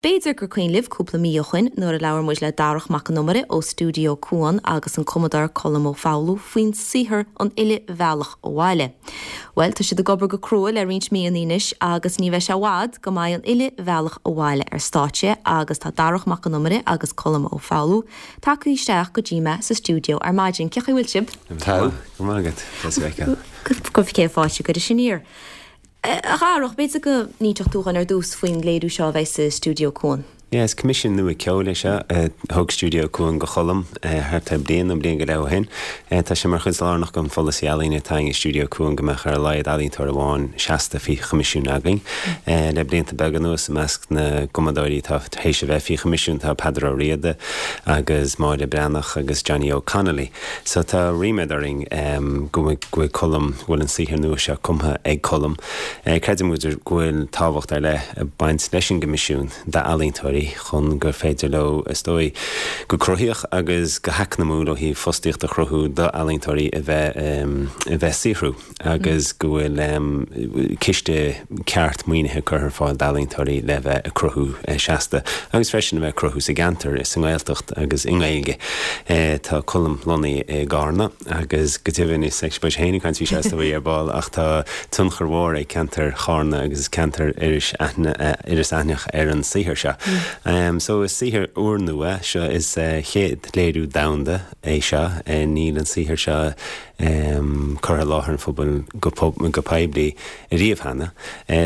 B'fhéidir gur cuimhin libh cúpla mí ó shoin nuair a labhair muid le Darach Mac Con Iomaire ó Stiúideo Cuan agus an cumadóir Colm Ó Foghlú faoin saothar An Uile Bhealach Abhaile. Bhuel, tá siad ag obair go crua le roinnt míonna anois agus ní bheidh sé i bhfad go mbeidh An Uile Bhealach Abhaile ar stáitse agus tá Darach Mac Con Iomaire agus Colm Ó Foghlú tagtha isteach go dtí mé sa stiúideo ar maidin. Cén chaoi a bhfuil sibh? Tá. Go maith agat. Deas a fheiceáil. Go bhfeice fáilte go dtí aniar. A Dharach, b'fhéidir go n-inseodh tú dhúinn ar dtús faoin léiriú seo a bheidh sa Stiúideo Cuan. Yeah, is coimisiún nua ceoil é seo a thug Stiúideo Cuan go Cholm thart ar bliain nó bliain go leith ó shin. Tá sé mar chuid lárnach den pholasaí ealaíne atá againn i Stiúideo Cuan go mbeadh ar a laghad ealaíontóir amháin seasta faoi choimisiún againn. Le blianta beaga anuas, i measc na gcumadóirí atá théis a bheith faoi choimisiún tá Peadar Ó Riada agus Máire Breathnach agus Johnny Óg Connolly. So tá ríméad orainn go bhfuil Colm, go bhfuil an saothar nua seo cumtha ag Colm. Creideann muid go bhfuil tábhacht ar leith ag baint leis an gcoimisiún d'ealaíontóirí chun gur féidir leo, is dóigh, go cruthaíoch agus go heacnamúil ó thaobh fostaíocht a chruthú d'ealaíontóirí a bheith a bheith ag saothrú. agus go bhfuil ciste ceart maoinithe curtha ar fáil d'ealaíontóirí le bheith ag cruthú seasta agus freisin a bheith ag cruthú sa gceantar, sa nGaeltacht agus i nGaeilge. Tá Colm lonnaithe i gCarna agus go deimhin is beidh sé féin ag caint faoi seo is dóigh ar ball ach tá tionchar mhór ag ceantar Charna agus ceantar Iorrais Aithneach ar an saothar seo. So is saothar úrnua seo is chéad léiriú domhanda é seo. Níl an saothar seo curtha i láthair an phobail go poiblí riamh cheana.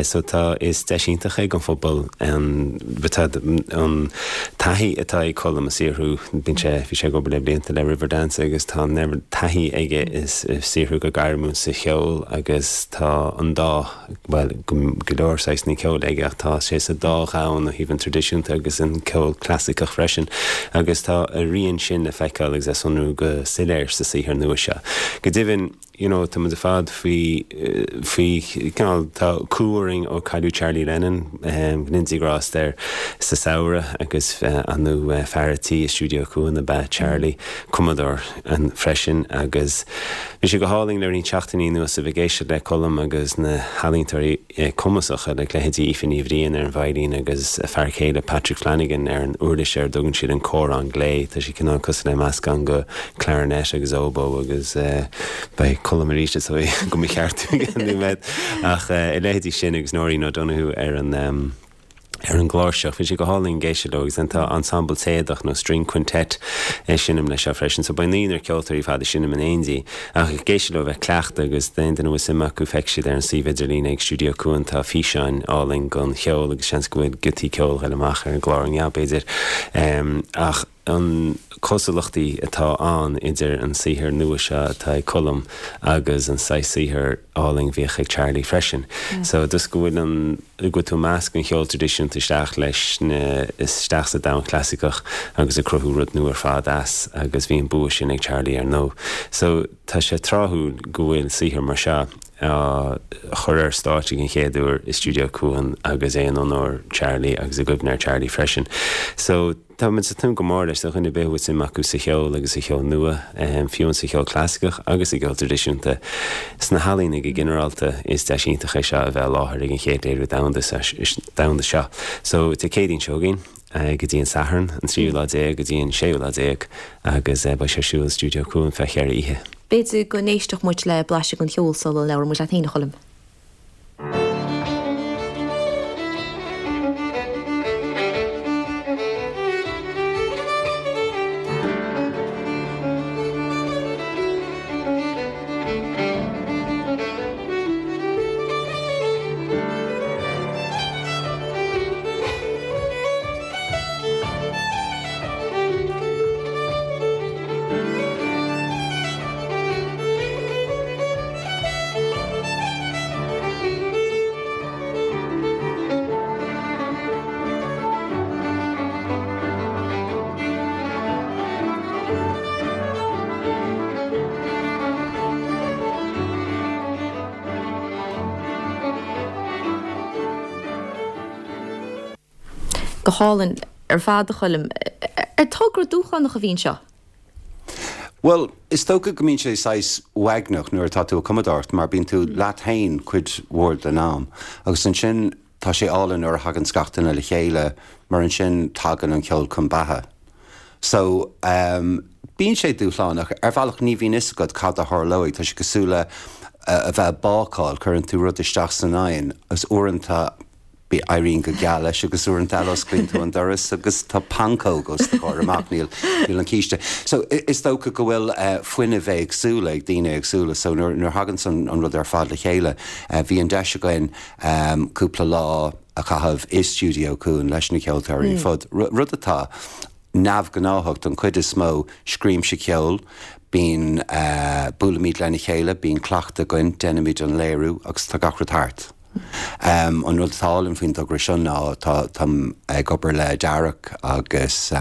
So tá, is deis iontach é don phobal an an taithí atá ag Colm ag saothrú, bíonn sé, bhí sé ag obair le blianta le Riverdance agus tá an oiread taithí aige ag saothrú go gairmiúil sa cheol agus tá an dá bhuel, go leor saghsanna ceoil aige ach tá sé sa dá dhomhan ó thaobh an traidisiúnta agus an ceol clasaiceach freisin agus tá a rian sin le feiceáil agus le sonrú go soiléir sa saothar nua seo. Go deimhin, you know, tá muid ar fad faoi, faoi, cineál, tá cumha orainn ó cailleadh Charlie Lennon, go ndéana Dia grást air, sa samhradh agus ar ndóigh fear a' tí i Stiúideo Cuan ab ea Charlie, cumadóir freisin agus Bhí sé go hálainn le roinnt seachtainí anuas a bheith ag éisteacht le Colm agus na healaíontóirí cumasacha, le leithéidí Aoife Ní Bhriain ar an veidhlín agus a fear céile Patrick Flanagan ar an uirlis ar a dtugann siad an córán glé. Tá sé cineál cosúil le meascán de clarinet agus oboe agus beidh Colm arís is dóigh do mo cheartú i gceann nóiméad. Ach a leithéidí sin agus Nóirín O'Donoghue ar an. ar an gcláirseach. Bhí sé go hálainn ag éisteacht leo agus then tá ensemble téadach nó string quintet ag seinm leis seo freisin. So beidh naonúr ceoltóirí ar fad ag seinm in éindí ach ag éisteacht leo a bheith ag cleachtadh agus d'aon duine a bhfuil suim acu feicfidh siad ar an suíomh idirlín ag Stiúideo Cuan tá físeáin álainn den cheol agus seans go bhfuil giotaí ceoil ag dul amach ar an gclár inniu b'fhéidir. Ach an cosúlachtaí atá ann idir an saothar nua seo atá ag Colm agus an saghas saothair álainn a bhíodh ag Charlie freisin. So just go bhfuil an, go bhfuil tú ag meascadh an cheol traidisiúnta isteach leis na, isteach sa domhan clasaiceach agus ag cruthú rud nua ar fad as agus bhí an bua sin ag Charlie ar ndóigh. So tá sé tráthúil go bhfuil saothar mar seo á chur ar stáitse den chéad uair i Stiúideo Cuan agus é in onóir Charlie agus i gcuimhne ar Charlie freisin. So. Tá muid ag tnúth go mór leis do dhuine ar bith a bhfuil suim acu sa cheol agus sa cheol nua, fiú sa cheol clasaiceach agus sa gceol traidisiúnta. Sna healaíona go ginearálta, is deis iontach é seo a bheith i láthair ag an chéad léiriú domhanda domhanda seo. So, Dé Céadaoin seo chugainn, go dtí an Satharn, an tríú lá déag go dtí an séú lá déag, agus beidh sé ar siúl i Stiúideo Cuan feadh cheithre oíche. B'fhéidir go n-éistfeadh muid le blaiseadh den cheol sula labhróidh muid leat féin, a Choilm. Go hálainn ar fad, a Choilm. Ar togra dúshlánach a bhí anseo? Bhuel, is dócha go mbíonn sé saghas uaigneach nuair atá tú ag cumadóireacht mar bíonn tú leat féin cuid mhór den am agus ansin. tá sé álainn nuair a thaganns gach duine le chéile mar ansin tagann an ceol chun beatha. So, bíonn sé dúshlánach. Ar bhealach ní bhíonn fhios agat cad a tharlóidh. Tá sé cosúil le a bheith ag bácáil, cuireann tú rud isteach san oigheann agus uaireanta éiríonn go geal leis agus uaireanta eile osclaíonn tú an doras agus tá pancóg os do chomhair amach, níl an císte. So, is dócha go bhfuil fuinneamh éagsúla ag daoine éagsúla so nuair a thaganns an rud ar fad le chéile, bhí an deis againn cúpla lá a chaitheamh i Stiúideo Cuan leis na ceoltóirí ar fud, rud atá neamhghnáthach don chuid is mó, scríobhaimse ceol, bíonn, buailimid lena chéile, bíonn cleachtadh againn, déanaimid an léiriú agus tá gach rud thart. An rud atá álainn faoin dtogra seo ná tá, táim ag obair le Darach agus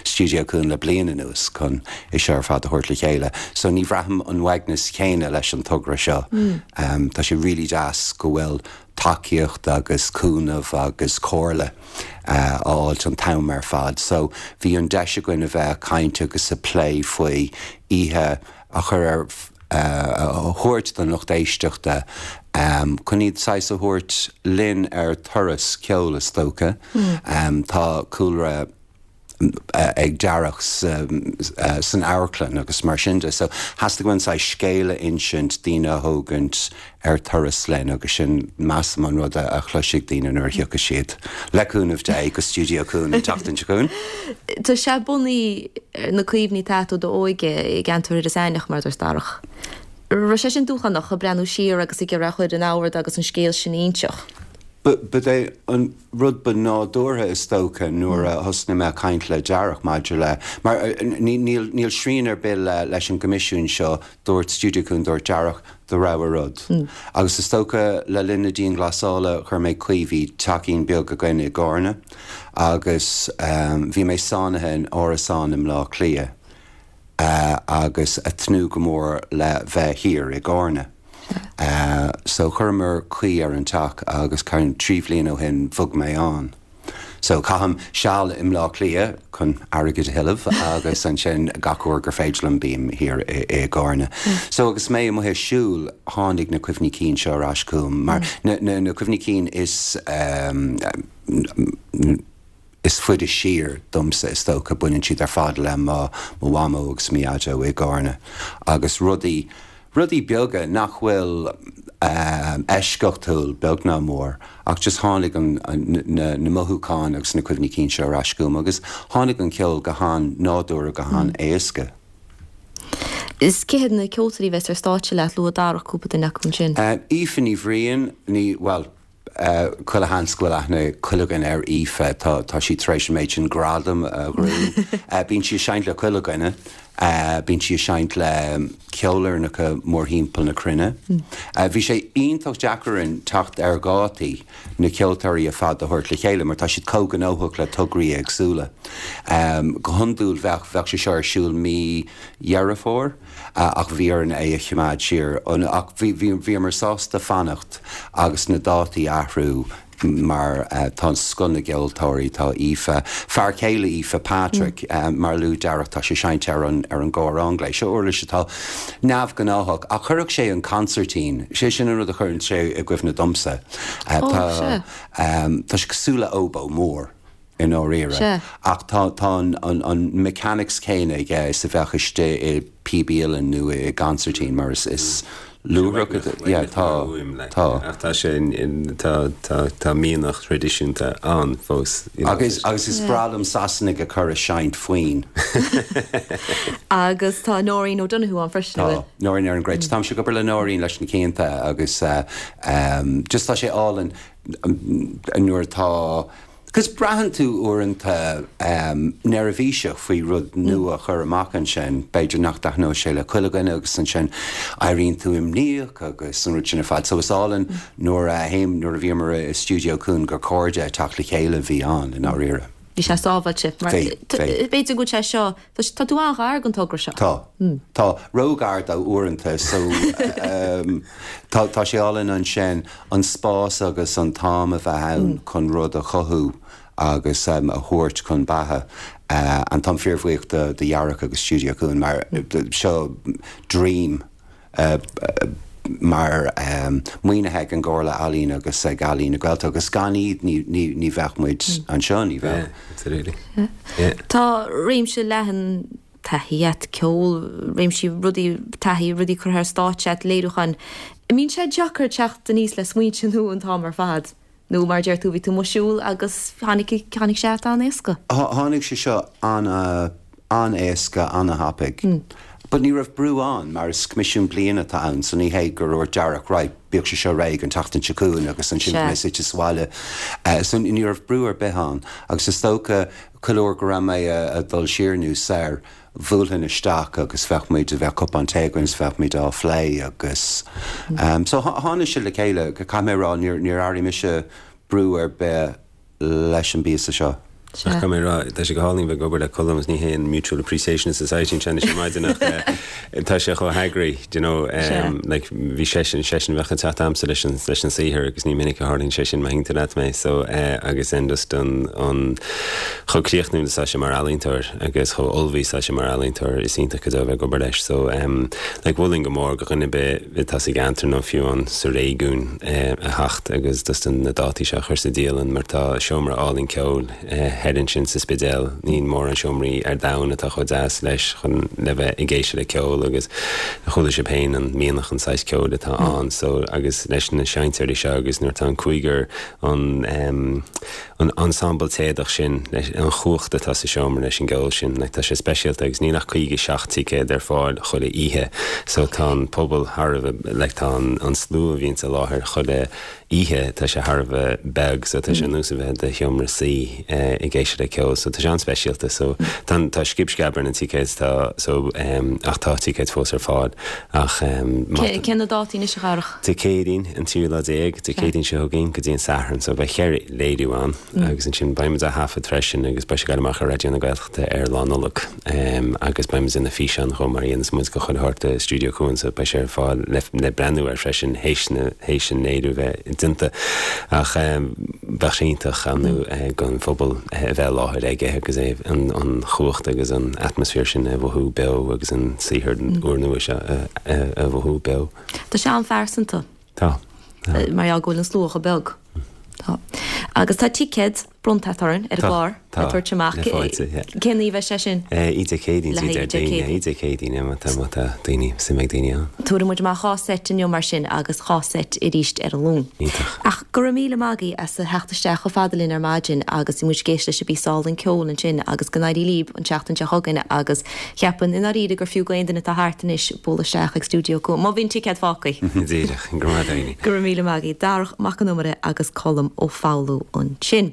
Stiúideo Cuan le bliain anuas chun é seo ar fad a thabhairt le chéile. So ní bhraithim an uaigneas chéanna leis an togra seo. Tá sé really deas go bhfuil tacaíocht agus cúnamh agus comhairle a fháilt an t-am ar fad. So bhí an deis againn a bheith ag caint agus ag plé faoi oíche a chur ar a thabhairt don lucht éisteachta chun iad saghas a thabhairt linn ar turas ceoil is dócha. Tá cúlra ag Darach san amharclann agus mar sin de. So theastaigh uainn saghas scéal a insint, daoine a thógaint ar turas linn agus sin measaim an rud a chloisfidh daoine nuair a thiocfaidh siad, le cúnamh Dé, go Stiúideo Cuan an tseachtain seo chugainn. Tá sé bunaithe ar na cuimhní atá agat ó d'óige i gceantar Iorras Aithneach, mar a dúirt Darach. Raibh sé sin dúshlánach, ag breathnú siar agus ag iarraidh a chur in ord agus an scéal sin a inseacht? Ba é an rud ba nádúrtha is dócha nuair a thosnaigh mé ag caint le Darach maidir le, mar níl, níl srian ar bith le, leis an gcoimisiún seo, dúirt Stiúideo Cuan, dúirt Darach, do rogha rud. Agus is dócha le linn na dianghlasála chuir mé caoi, bhí teachín beag againn i gCárna agus bhí mé sáinnithe in árasán i mBleá Cliath agus ag tnúth go mór le bheith thiar i gCárna. So chuireamar caoi ar an teach agus 3 bhliain ó shin bhog mé ann. So caithim seal i mBleá Cliath chun airgead a thuilleamh agus ansin gach uair gur féidir liom bím thiar i gCárna. So agus mé amuigh ag siúl tháinig na cuimhní cinn seo ar ais chugam mar na cuimhní cinn is is faide siar domsa is dócha, baineann siad ar fad le mo mhamó agus mo dhaideo i gCárna agus rudaí, rudaí beaga nach bhfuil eisceachtúil beag ná mór ach just tháinig an, na, na mothúcháin agus na cuimhní cinn seo ar ais chugam agus tháinig an ceol go han-nádúrtha, go han-éasca. Is cé hiad na ceoltóirí a bheas ar stáitse leat? Luaigh Darach cúpla duine acu ansin. Aoife Ní Bhriain, ní, bhuel, Chuile sheans go bhfuil aithne ag chuile dhuine ar Aoife. Tá, tá sí tar éis an méid sin gradam a ghnóthú. Bíonn sí ag seinnt le chuile dhuine. Bíonn sí ag seinnt le ceolfhoirneacha mórthimpeall na cruinne. Bhí sé iontach deacair orainn teacht ar dhátaí na ceoltóirí ar fad a thabhairt le chéile mar tá siad chomh gnóthach le tograí éagsúla. Go hiondúil bheadh, bheadh sé seo ar siúl mí Dheireadh Fómhair. ach bhí orainn é a choimeád siar. Ach bhíomar sásta fanacht agus na dátaí a athrú mar tá scoth na gceoltóirí, tá Aoife, fear céile Aoife, Patrick, mar a luaigh Darach, tá sé ag seinnt ar an ar an gcor anglais. Seo uirlis atá neamhghnáthach ach chuirfeadh sé an consairtín, sé sin an rud a chuireann sé i gcuimhne domsa. Tá tá sé cosúil le óbó mór. i ndáiríre. Ach tá tá an an mechanics céanna aige is a bheadh istigh i píb uilleann nó i gconsairtín mar is is luaithreach yeah tá tá. Ach tá sé tá tá tá mianach traidisiúnta ann fós you know. Agus agus is breá liom Sasanaigh a chur ag seinnt foinn. Agus tá Nóirín O'Donoghue ann freisin, an bhfuil? Tá, Nóirín ar an gcruit. Táimse ag obair le Nóirín leis na cianta agus just tá sé álainn nuair atá 'Cause braitheann tú uaireanta neirbhíseach faoi rud nua a chur amach ansin, b'fhéidir nach dtaitneoidh sé le chuile dhuine agus ansin éiríonn tú imníoch agus an rud sin ar fad. So is álainn nuair a théim, nuair a bhíomar i Stiúideo Cuan gur cairde ag teacht le chéile a bhí ann i ndáiríre. Bhí sé sábháilte. Mar Bhí, bhí. b'fhéidir go bhfuil sé seo, tá tú an-ghar don togra seo. Tá. Tá. Ró-ghar dó uaireanta so tá, tá sé álainn ansin. an spás agus an t-am a bheith ann chun rud a chothú agus a thabhairt chun beatha. And táim fíorbhuíoch do Dharach agus Stiúideo Cuan mar seo dream. mar maoinithe ag an gComhairle Ealaíon agus ag Ealaín na Gaeltachta agus gan iad ní ní ní bheadh muid anseo, ní bheadh. Yeah, absolutely. Yeah. Tá réimse leathan taithí a't, ceol, réimsí rudaí, taithí, rudaí curtha ar stáitse a't, léiriúcháin. An mbíonn sé deacair teacht aníos le smaointe nua an t-am ar fad? Nó mar a deir tú, bhí tú amuigh ag siúl agus tháinig, tháinig sé a't an-éasca? Tháinig sé seo an, an-éasca, an-thapaidh. But ní raibh brú ann mar is coimisiún bliana atá ann so ní hé gur dhúirt Darach right, bíodh sé seo réidh an tseachtain seo chugainn agus ansin beidh mé suite sa bhaile. So ní raibh brú ar bith ann agus is dócha chuile uair go raibh mé ag dul siar nó soir, bhuailfinn isteach agus bheadh muid, bheadh cupán tae againn is bheadh muid á phlé agus so tháinig sé le chéile, caithfidh mé a rá níor, níor airigh mise brú ar bith leis an bpíosa seo. Ach caithfidh mé a rá, tá sé go hálainn bheith ag obair le Colm agus ní hé an mutual appreciation society anseo anois ar maidin ach tá sé chomh heagraithe, do you know, like bhí seisean, seisean a bheadh ag teacht a'msa leis an, leis an saothar agus ní minic a tharlaíonn sé sin má thuigeann tú leat mé so agus then just an, an chomh críochnúil is atá sé mar ealaíontóir agus chomh ullmhaithe is atá sé mar ealaíontóir, is iontach go deo a bheith ag obair leis. So em like mholfainn go mór go dhuine ar bith atá sa gceantar nó fiú amháin sa réigiún eh a theacht agus just na dátaí seo a chur sa dialann mar tá seomra álainn ceoil eh thoir ansin sa Spidéal, níl mórán seomraí ar domhan atá chomh deas leis chun le bheith ag éisteacht le ceol agus chuala sibh féin an mianach an saghas ceoil atá ann so agus leis na seinnteoirí seo agus nuair atá an cúigear an em an ensemble téadach sin, leis an chumhacht atá sa seomra leis an gceol sin, like tá sé speisialta agus níl ach 57 ticéad ar fáil chuile oíche so tá an pobal thar a bheith, like tá an slua a bhíonns i láthair chuile oíche, tá sé thar a bheith beag so tá sé ar nós a bheith i do sheomra suí ag éisteacht le ceol so tá sé an-speisialta so tá tá scib sceab ar na ticéid tá so ach tá ticéid fós ar fáil ach má Cé na dátaí anois a Dharach? Dé Céadaoin, an tríú lá déag, Dé Céadaoin seo chugainn go dtí an Satharn, so beidh cheithre léiriú ann agus ansin beidh muid á thaifead freisin agus beidh sé ag dul amach ar Raidió na Gaeltachta ar Lá Nollag agus beidh muid ag déanamh físeán chomh mar a dhéanas muid go chuile shórt i Stiúideo Cuan so beidh sé ar fáil le le breathnú air freisin théis na théis an léiriú bheith déanta ach bheadh sé iontach ar ndóigh don phobal a bheith i láthair aige agus é an an chumhacht agus an atmaisféar sin a mhothú beo agus an saothar úrnua seo a a mhothú beo. Tá sé an-phearsanta. Tá. Tá. Mar gheall go bhfuil an slua chomh beag. Tá. Agus tá ticéad bronnta agat orainn ar an gclár le tabhairt amach. Tá. Le fáilte, yeah. Cén oíche a bheidh sé sin? Oíche Dé Céadaoin, Le haghaidh Dé Céadaoin. Oíche Dé Céadaoin, yeah, má tá, má tá daoine, suim ag daoine ann. Tabharfaidh muid amach dhá seit inniu mar sin agus dhá seit arís ar an Luan. Iontach. Ach go raibh míle maith agaibh as a theacht isteach chomh fada linn ar maidin agus bhí muid ag éisteacht leis an bpíosa álainn ceoil ansin agus go n-éirí libh an tseachtain seo chugainn agus Cheapfainn i ndáiríre gur fiú go aon duine atá thart anois bualadh isteach ag Stiúideo Cuan, má bhíonn ticéad fágtha. Díreach. Go raibh maith agat. Go raibh míle maith agaibh. Darach Mac Con Iomaire agus Colm Ó Foghlú ansin.